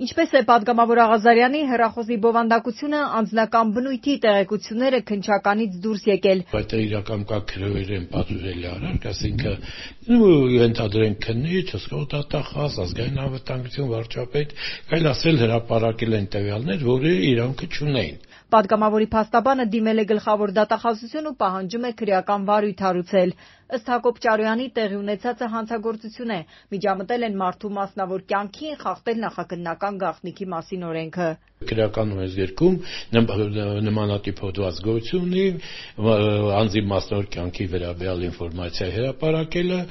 Ինչպես է պատգամավոր Աղազարյանի հեռախոսի բովանդակությունը, անձնական բնույթի տեղեկությունները քննչականից դուրս եկել։ Բայց իրական կարգերեն պատժելի արարք, այսինքն ենթադրենք քննիչ, հսկողատախազ, ազգային անվտանգություն վարչապետ, այլ ասել հրապարակել են տվյալներ, որը իրանքը չունեին։ Պատգամավորի փաստաբանը դիմել է գլխավոր դատախազություն ու պահանջում է քրեական վարույթ հարուցել։ Ըստ Հակոբ Ճարոյանի տեղի ունեցածը հանցագործություն է, միջամտել են մարդու մասնավոր կյանքին, խախտել նախաքննական գաղտնիքի մասին օրենքը։ Քրեական օրենսգրքում նմանատիպ հոդված գոյություն ունի, անձի մասնավոր կյանքի վերաբերյալ ինֆորմացիա հրապարակելը,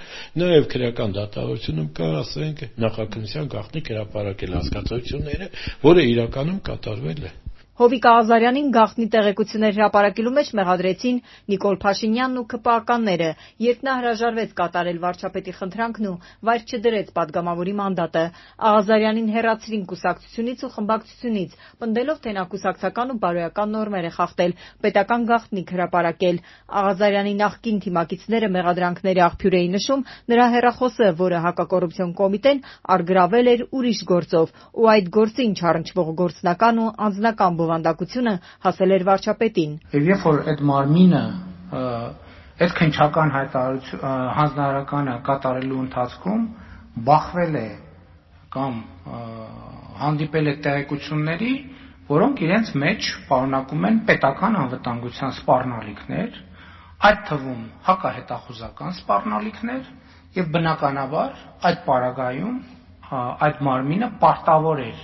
նաև քրեական դատավարությունում կա, ասենք, նախաքննության գաղտնիք հրապարակել հասկացությունները, որը իրականում կատարվել է։ Հովիկ Աղազարյանին գաղտնի տեղեկություններ հրապարակելու մեջ մեղադրեցին Նիկոլ Փաշինյանն ու ՔՊԱ-ականները, երբ նա հրաժարվեց կատարել վարչապետի խնդրանքն ու վայր չդրեց պատգամավորի մանդատը։ Աղազարյանին հեռացրին կուսակցությունից ու խմբակցությունից, պնդելով, թե նա կուսակցական ու բարոյական նորմեր է խախտել, պետական գաղտնիք հրապարակել։ Աղազարյանի նախկին թիմակիցները մեղադրանքների աղբյուր էին նշում նրա հեռախոսը, որը հակակոռուպցիոն կոմիտեն առգրավել էր ուրիշ գործով, ու այդ գործին չառնչվող գործնական ու անձնական բովանդակությունը հասել էր վարչապետին։ Երբ որ այդ մարմինը այդ քննչական հանձնարարականը կատարելու ընթացքում բախվել է կամ հանդիպել է տեղեկությունների, որոնք իրենց մեջ պարունակում են պետական անվտանգության սպառնալիքներ, այդ թվում հակահետախուզական սպառնալիքներ, եւ բնականաբար այդ պարագայում այդ մարմինը պարտավոր էր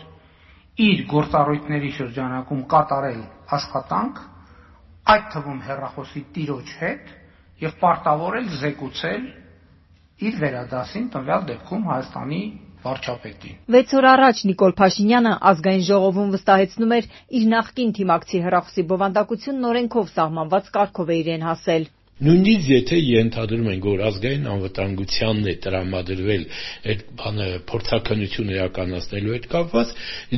իր գործառույթների շրջանակում կատարել աշխատանք, այդ թվում հեռախոսի տիրոջ հետ, եւ պարտավոր էր զեկուցել իր վերադասին տվյալ դեպքում Հայաստանի վարչապետին։ 6 օր առաջ Նիկոլ Փաշինյանը Ազգային ժողովում վստահեցնում էր իր նախկին թիմակցի հեռախոսի բովանդակությունն օրենքով սահմանված կարգով է իրեն հասել։ Նույնիսկ եթե ենթադրում ենք, որ ազգային անվտանգությանն է տրամադրվել այդ բանը փորձաքննություն իրականացնելու հետ կապված,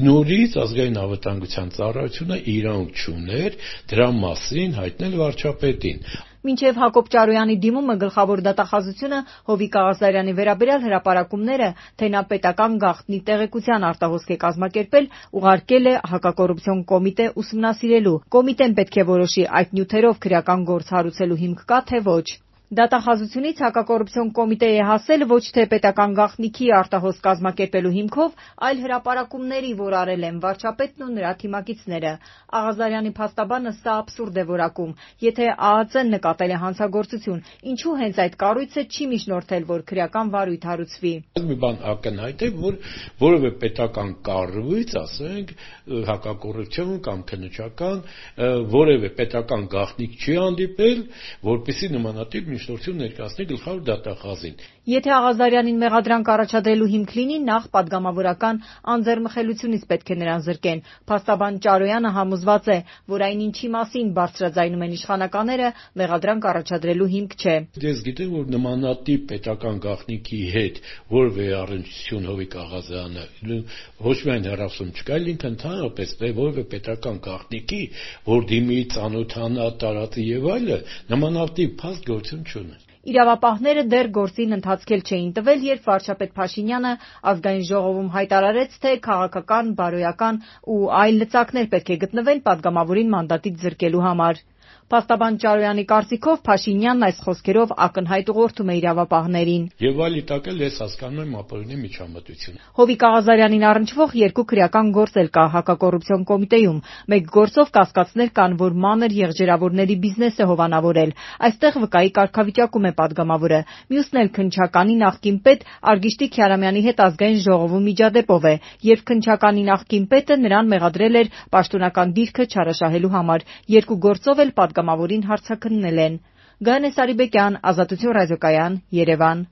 նորից ազգային անվտանգության ծառայությունը իրանք չուներ դրա մասին հայտնել վարչապետին։ Մինչև Հակոբ Ճարոյանի դիմումը գլխավոր դատախազությունը Հովիկ Աղազարյանի վերաբերյալ հրապարակումները, թե նա պետական գաղտնի տեղեկության արտահոսք է կազմակերպել, ուղարկել է հակակոռուպցիոն կոմիտե ուսումնասիրելու։ Կոմիտեն պետք է որոշի այդ նյութերով քրեական գործ հարուցելու հիմք կա, թե ոչ։ Դատախազությունից հակակոռուպցիոն կոմիտեի է հասել ոչ թե պետական գաղտնիքի արտահոսք կազմակերպելու հիմքով, այլ հրապարակումների, որ արել են վարչապետն ու նրա թիմակիցները։ Աղազարյանի փաստաբանը սա աբսուրդ է որակում։ Եթե ԱԱԾ-ն նկատել է հանցագործություն, ինչու հենց այդ կառույցը չի միջնորդել, որ քրեական վարույթ հարուցվի։ Մի բան ակնհայտ է, որ որևէ պետական կառույց, ասենք, հակակոռուպցիոն կամ քննչական, որևէ պետական գաղտնիք չի հանդիպել, որպեսզի նմանատիպ միջնորդություն ներկայացնի գլխավոր դատախազին։ Եթե Աղազարյանին մեղադրանք առաջադրելու հիմք լինի, նախ պատգամավորական անձեռմխելությունից պետք է նրան զրկեն։ Փաստաբան Ճարոյանը համոզված է, որ այն ինչի մասին բարձրաձայնում են իշխանականները, մեղադրանք առաջադրելու հիմք չէ։ Ես գիտեմ, որ նմանատիպ պետական գաղտնիքի հետ որևէ առնչություն Հովիկ Աղազարյանը ոչ միայն հեռախոսում չկա, այլ ինքը ընդհանրապես որևէ պետական գաղտնիքի, որ դիմի ծանոթանա, տարածի եւ այլը, նմանատիպ փաստ գործություն չունի։ Իրավապահները դեռ գործին ընթացքել չէին տվել, երբ վարչապետ Փաշինյանը Ազգային ժողովում հայտարարեց, թե քաղաքական, բարոյական ու այլ լծակներ պետք է գտնվեն պատգամավորին մանդատից զրկելու համար։ Փաստաբան Ճարոյանի կարծիքով Փաշինյանն այս խոսքերով ակնհայտ ուղղորդում է իրավապահներին։ Եվ այլ իտակել ես հասկանում եմ ապօրինի միջամտությունը։ Հովիկ Աղազարյանին առնչվող 2 քրեական գործ էլ կա հակակոռուպցիոն կոմիտեում։ Մեկ գործով կասկածներ կան, որ մանր եղջերավորների բիզնես է հովանավորել։ Այստեղ վկայի կարգավիճակում է պատգամավորը։ Մյուսն էլ քննչականի նախկին պետ Արգիշտի Քյարամյանի հետ Ազգային ժողովում միջադեպով է, երբ քննչականի նախկին պետը նրան մեղադրել էր պաշտոնական դիրքը չարաշահելու համար։ 2 գործով էլ պատգամավորին հարցաքննել են։ Գայանե Սարիբեկյան, Ազատություն ռադիոկայան, Երևան։